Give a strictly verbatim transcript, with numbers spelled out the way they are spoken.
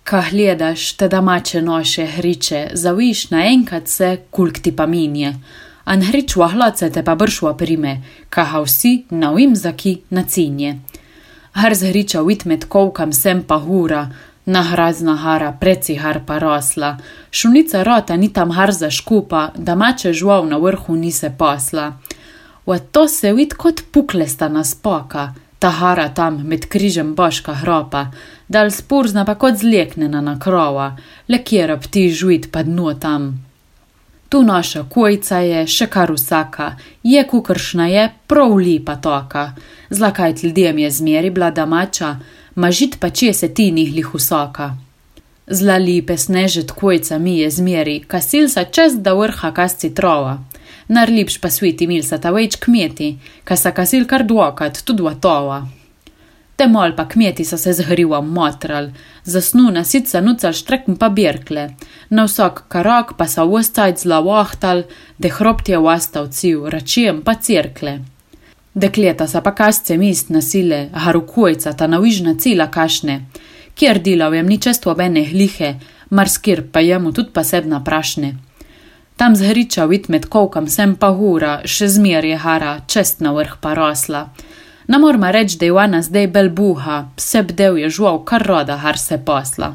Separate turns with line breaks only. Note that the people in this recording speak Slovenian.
Ka gledaš te domače noše hriče, zaviš naenkrat se, koliko ti pa minje. An hričua hlace te pa bršua prime, kaha vsi na uimzaki na cinje. Harz hriča vitmet kovkam sem pa hura, na hrazna hara preci har pa rosla. Šunica rota ni tam harza škupa, da mače žuav na vrhu ni se posla. Wa to se vid kot puklesta na spoka, ta hara tam med križem boška hropa, dal spurzna pa kot zleknena na krova, le kjera pti žuit pa dno tam. Tu naša kojca je še kar vsaka, je kukršna je, prav lipa toka. Zlakajt ljudem je zmeri bila domača, mažit pa če se ti nihlih vsoka. Zla lipe snežet kojca mi je zmeri, kasil sa čest da vrha kasci trova. Narlipš pa sviti mil sa ta vejč kmeti, ka sa kasil kar dvokat, tudi vatova. Temol pa kmeti so se zhriva motral, zasnu na sica nucal štrekm pa birkle, na vsok karok pa sa vostajt zla vohtal, de hroptje vastav civ, račijem pa cirkle. Dekleta sa pa kasce mist nasile, harukojca ta navižna cila kašne, kjer dilavjem ni često obene hlihe, mar skir pa jemu tudi pasebna prašne. Tam zhriča vitmet kovkam sem pa hura, še zmer je hara, čest na vrh pa rosla. Na morma reč, da je ona zdaj bel buha, pse bdev je žuav kar roda har se posla.